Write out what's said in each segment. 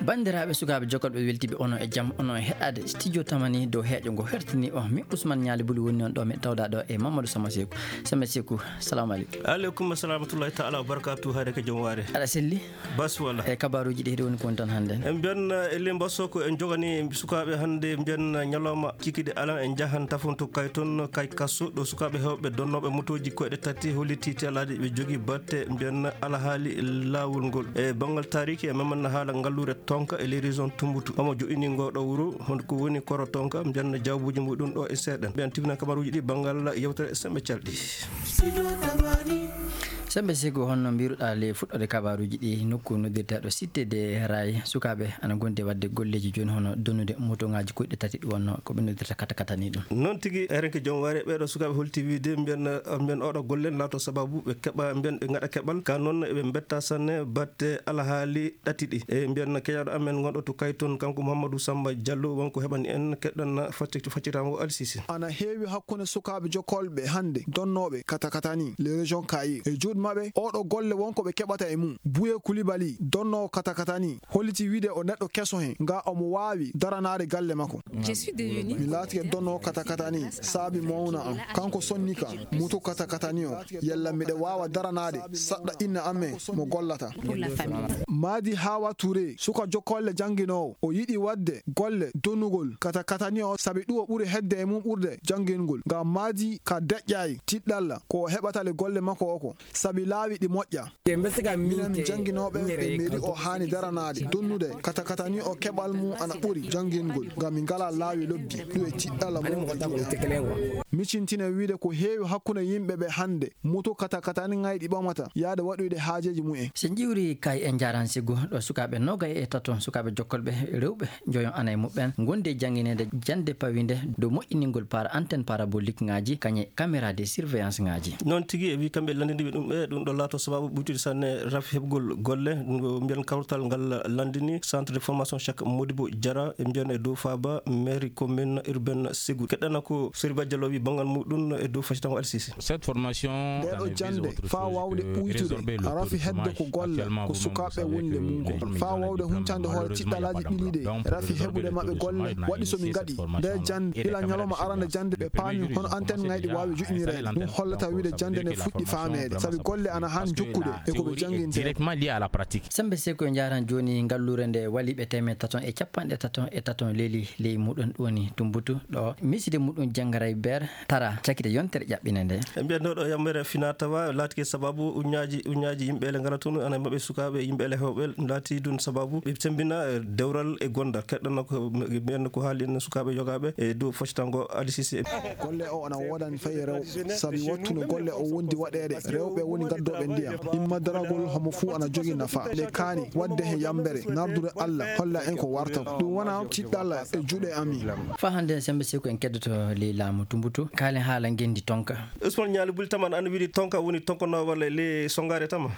bandiraɓe sukaɓe jokolɓe weltiɓe ono e jaam ono e heɗade studio tamani dow heeƴo ngo hertini o mi Ousmane Niali Buli woni on ɗo mi tawɗa ɗo e Mamadou Sama Sekou salamu aleykum. Aleykum salamatullahi taala wa barakatuh. Hayde ko jom waare aɗa selli bas wala e kabaruji ɗi woni kon tan hannde en mbiyan elle mbasso ko en jogani sukaɓe hannde mbiyan ñalawma cikide alan en jahan tafonto kay toon kay kasso ɗo sukaɓe hewɓe donnoɓe motoji koyɗe tati holliti telade ɓe jogui batte mbiyan alahaali lawol ngol e banggal tariki e mamanna haala ngallure tonka e les régions Tumboutou omo joɗini ngoɗo wuro ko woni koro tonka mbiyan jawbuji muɗum ɗo e seeɗen mbiyan tibina kabaruji ɗi banggal yewtere sembe calɗi sembe Sekou honno mbiruɗa le fuɗɗode kabaruji ɗi nokku noddirteɗo cité de ray sukaɓe ana gonde wadde golleji joni hono donnude moto ngaji koyɗe tati ɗi wonno ko ɓe noddirta kata ni ɗum noon tigui erenke joom waare ɓeɗo sukaɓe holti wiide mbiyan oɗo gollen laato sababu ɓe keeɓa mbiyan ɓe gaɗa keɓal ka noon eɓe betta sanne batte alahaali ɗati ɗi e mbiyan keƴaɗo amen gonɗo to kay toon kanko Mouhamadou Samba Diallo wonko heɓani en keɗɗan faccitamo alsisi ana heewi hakkude sukaɓe jokolɓe hande donnoɓe kata ni les régions kayi e juuɗe mabɓe oɗo golle wonko ɓe keɓata e mum Bouye Coulibaly donnowo kata ni holliti wiide o neɗɗo keso hen nga omo wawi daranade galle makko mi laatike donnowo kata ni saabi mawna am kanko sonni ka muto kata ni o yalla miɗe wawa daranade saɗɗa inna amen mo gollata Madi Hawa Touré suka jokolle jangguinowo o yiɗi wadde golle donnugol kata ni o saabi ɗum o ɓuuri hedde e mum ɓurde janggingol ngam Madi ka deƴƴayi tiɗɗalla ko heɓatale golle makko oko saabi laawi ɗi moƴƴa minen jangginoɓe ɓe meeɗi o hani daranade donnude kata ni o keɓal mum ana ɓuuri janggingol ngam min ngala laawi lobbi ɗum e tiɗɗalla mum micintine wiide ko heewi hakkude yimɓeɓe hande moto kata ni ngayɗi ɓamata yaade waɗoyde haajeji mumen so jiwri kay en jaran Sekou ɗo sukaɓe nogay e taton sukaɓe jokkolɓe rewɓe joyon ana e muɓɓen gonde jangguinede jande pawide dow moƴƴiningol para antenne parabolique ngaji kañe caméra de surveillance ngaji noon tigui e wi kamɓe landiniɓe ɗum ɗo laato sababu ɓuytude sanne rafi heɓgol golle mbiyan kawtal ngal landini centre de formation Cheikh Modibo Diarra e mbiyan e dow Faba mairie commune urbaine Ségou keɗɗana ko Seriba Diallo wi banggal muɗum e dow facitango alsisi cette formation ɗo jande fa wawde ɓuytude a rafi hedde ko golle ko sukaɓe wonde mum fa wawde huncande hoore tiɗɗalaji ɓiliɗe rafi heɓude mabɓe golle waɗi somi gaɗi nde jande ila ñalawma arande jande ɓe paami hono antenne ngayɗi wawi juɗinire ɗum hollata wiide jande nde fuɗɗi famede saabi golle ana hani jokkude e koɓe jangginte directement lié à la pratique sembe Sekou e jaran joni ngallure nde waliɓe temed taton e capanɗe taton leeli ley muɗum ɗoni Tumboutou ɗo miside muɗum Jangaray Ber tara cakkite yontere ƴaɓɓine nde e mbiyan ɗo yammere finatawa laatike sababu uñaji yimɓele ngara toon ana mabɓe sukaɓe yimɓele hewɓe laati ɗum sababu ɓe sembina dewral e gondal keɗɗana ko mbiyan ko haali en sukaɓe jogaɓe e dow foccitango alisisi golle o ana wodani fayi rewɓe saabi wattuno golle o wondi waɗede rewɓe woni gaddoɓe ndiyam imma daragol homo fuu ana jogui nafa nde kaani wadde he yambere nardude Allah holla en ko warta ɗum wona tiɗɗalla e juuɗe amin fa hande sembe Sekou en keddoto ley laamu Tumboutou kaalen haala gendi tonka Ousmane Niali Buli taman ana wiɗi tonka woni tonkano walla le songare tama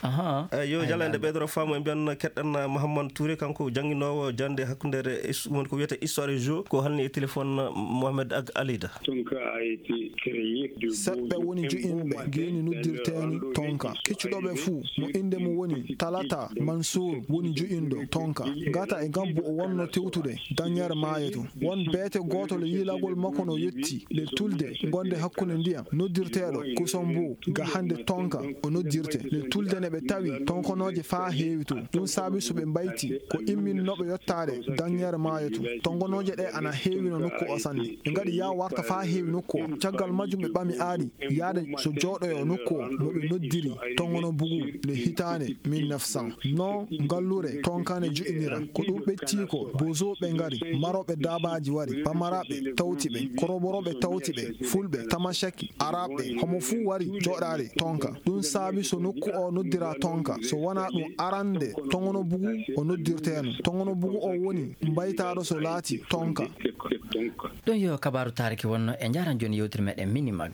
yo jalande ɓeydoro faamu e mbiyan keɗɗan Mouhamadou Touré kanko jangguinowo jande hakkudere woni ko wiyete histoire jo ko halni e téléphone Mohamed Ag Alida tonka a été créé seɓɓe woni joƴinɓe geni noddirteni tonka keccuɗoɓe fuu mo inde mum woni Talata Mansour woni joƴinɗo tonka gata e gabbu o wonno tewtude dañere maayeto won beete gotol yilagol makko no yetti le tulde gonde hakkude ndiyam noddirteɗo Kousombo ga hande tonka o noddirte le tulde ne ɓe tawi tonkonoje fa heewi to ɗum saabi so ɓe mbayti ko imminnoɓe yettade dañere maayeto tongonoje ɗe ana heewi no nokku o sanne ɓe gaɗi ya warta fa heewi nokku o caggal majjum ɓe ɓami aadi yaade so jooɗoyo nokku o noɓe noddiri tongono bugu le hitande 1900 non ngallure tonkane joƴinira ko ɗum ɓetti ko bozoɓe ngari maroɓe dabaji wari pamaraɓe tawti ɓe koroboroɓe tawti ɓe fulɓe tamashaki araɓɓe homo fuu wari joɗade tonka ɗum saabi so nokku o noddira tonka so wona ɗum arande tongono bugu o noddirteno tongono bugu o woni mbaytaɗo so laati tonka ɗon yo kabaru tariki wonno e jaran joni yewtere meɗen Minimag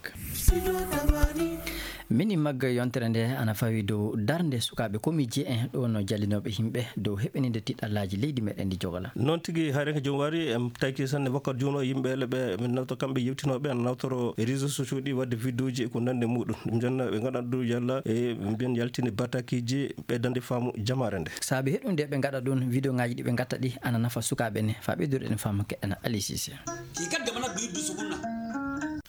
mini magga yontere nde ana fawi dow darde sukaɓe komiji en ɗo no jallinoɓe yimɓe dow heɓinide tiɗɗallaji leydi meɗen ndi jogala. noon tigui hayrenke joom wari en taki sanne wakkat juuno yimɓele ɓe min nawta kamɓe yewtinoɓe ana nawtoro réseaux sociaux ɗi wadde vidéo ji e ko nande muɗum ɗum jonna ɓe gaɗa ɗum yalla e mbiyen yaltini batakiji ɓeydande faamu jamare nde saabi heɗunde ɓe gaɗa ɗum vidéo ngaji ɗi ɓe gatta ɗi ana nafa sukaɓe ne fa ɓeyduɗen faamu keɗɗana Ali Cissé.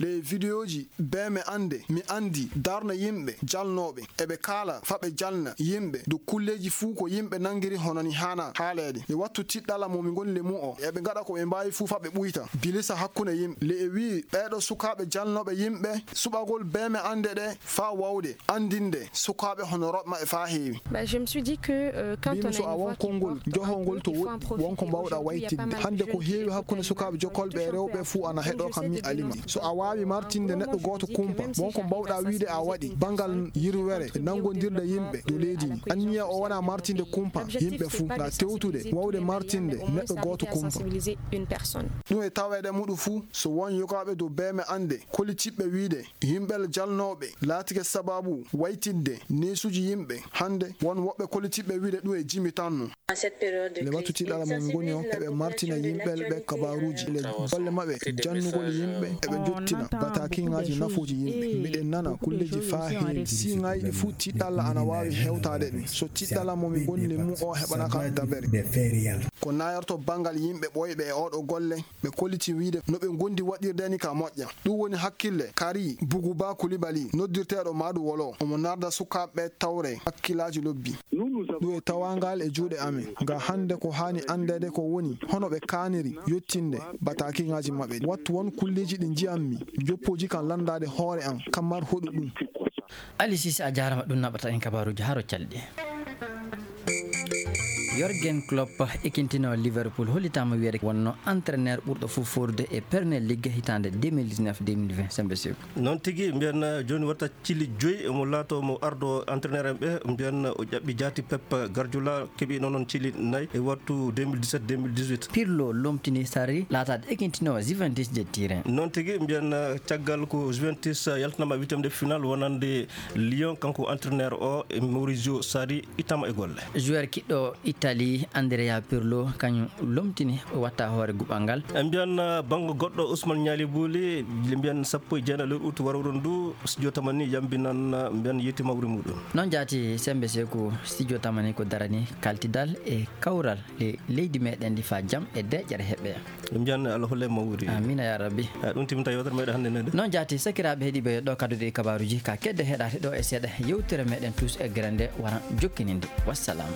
les vidéo ji be mi andi darna yimɓe jalnoɓe eɓe kaala faɓe jalna yimɓe do kulleji fuu ko yimɓe nangiri honani hana haalede e wattu tiɗɗala momi goni le mu'o eɓe gaɗa ko ɓe mbawi fuu faɓe ɓuyta bilisa hakkunde yimɓe le e wi ɓeɗo sukaɓe jalnoɓe yimɓe suɓagol be mi ande ɗe fa wawde andinde sukaɓe hono roɓma e fa heewi. Je me suis dit que quand on a so a won kongol johongol to wonko mbawɗa waytinde hande ko heewi hakkunde sukaɓe jokkolɓe e rewɓe fuu ana heɗo kam mi alima so a wawi martinde neɗɗo goto kumpa wonko mbawɗa wiide a waɗi bangal yirwere e nangodirde yimɓe do leydi ni anniya o wona martinde kumpa yimɓe fuu na tewtude wawde martinde neɗɗo goto kumpa ɗum e tawede muɗum fuu so won yogaɓe dow beme ande kolitiɓɓe wiide yimɓel jalnoɓe laatike sababu waytinde nesuji yimɓe hande won woɓɓe kolitiɓɓe wiide ɗum e jimi tanno le wattu tiɗɗala mon goni o eɓe martina yimɓel ɓe kabaruji le golle mabɓe jannugol yimɓe eɓe jottina batakingaji nafuji yimɓe miɗen nana kulleji fa heewi siŋaji ɗi fuu tiɗɗalla ana wawi hewtade ɗum so tiɗɗala momi gonni mu o heɓanaka dabere ko nayarto bangal yimɓe ɓoyɓe e oɗo golle ɓe kolliti wiide no ɓe gondi waɗirdeni ka moƴƴa ɗum woni hakkille Kari Buguba Coulibaly noddirteɗo Madou Wolo omo narda sukaɓe tawre hakkillaji lobbi ɗum e tawangal e juuɗe amen nga hande ko hani andede ko woni hono ɓe kaniri yettinde batakingaji mabɓe wattu won kulleji ɗi jiyammi joppoji kan landade hoore an kammar hoɗu ɗum. Ali Cissé a jarama ɗum naɓata en kabaruji haro calɗi. Jürgen Klopp ekintino Liverpool hollitama wiide wonno entraîneur ɓurɗo fof forde e Premier League hitande 2019-2020 sembe seko noon tigui mbiyen joni watta cilli joyyi mo laato mo ardo entraîneur en ɓe mbiyen o ƴaɓɓi jaati Pep Guardiola keeɓi noon cilli nayyi e wattu 2017-2018 Pirlo lomtini Sarri laatade ekintino Juventus de Turin noon tigui mbiyen caggal ko Juventus yaltanama witemde final wonande Lyon kanko entraîneur o e Maurizio Sarri ittama e golle joueur kiɗɗo Italie Andrea Pirlo kañum lomtini watta hoore guɓal ngal en mbiyan banggo goɗɗo Ousmane Niali Bouli mbiyan 14 lewru août warawron ndu studio tamani yambinan mbiyan yetti mawri muɗum noon jaati sembe seko studio tamani ko darani kaltidal e kawral e leydi meɗen ndi fa jaam e deƴƴere heɓɓe mbiyan Allah holle mawri amina ya rabbi ɗum timta yewtere meɗen hannde nede noon jaati sakiraɓe heeɗiɓe ɗo kaddude e kabaruji ka kedde heɗade ɗo e seeɗa yewtere meɗen tous e grande wara jokkininde wassalam.